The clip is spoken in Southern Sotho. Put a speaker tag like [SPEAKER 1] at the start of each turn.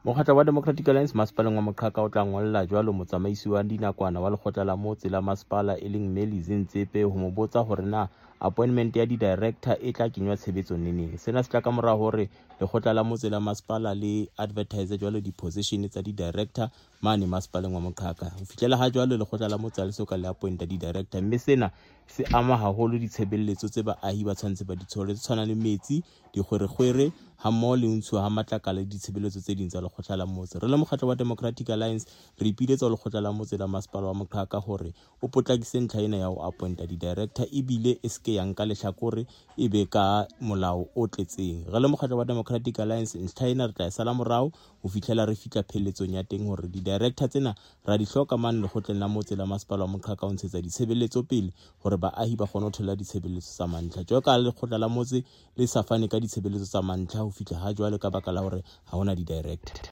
[SPEAKER 1] Mokgatlo wa Democratic Alliance masepaleng wa Moqhaka o tla ngolla jwalo motsamaisi wa dinakwana wa lekgotla la motse la masepala e leng Mme Lizzy Ntsepe ho mo botsa hore na appointment ya di-director e tla kenywa tshebetsong neneng. Sena se tla ka mora hore lekgotla la motse la masepala le advertise jwalo di-position tsa di-director mane masepaleng wa Moqhaka. Ho fihlela ha jwalo lekgotla la motse ha le so ka le appointa di-director, mme sena se ama haholo ditshebeletso tse baahi ba tshwanetse ba di thole tse tshwanang le metsi, dikgwerekgwere ha mmoho le ho ntshuwa ha matlakala le ditshebeletso tse ding tsa lekgotla la motse. Re le mokgatlo wa Democratic Alliance re ipiletsa ho lekgotla la motse la masepala wa Moqhaka hore o potlakise ntlha ena ya ho appointa di-director ebile e seke ya nka lehlakore e be ka molao o tletseng. Re le mokgatlo wa Democratic Alliance ntlha ena re tla e sala morao ho fihlela re fihla pheletsong ya teng hore di-director tsena ra di hloka mane lekgotleng la motse la masepala wa Moqhaka ho ntshetsa ditshebeletso pele hore baahi ba kgone ho thola ditshebeletso tsa mantlha. Jwalo ka lekgotla la motse le sa fane ka ditshebeletso tsa mantlha ho fihla ha jwale ka baka la hore ha hona di-director.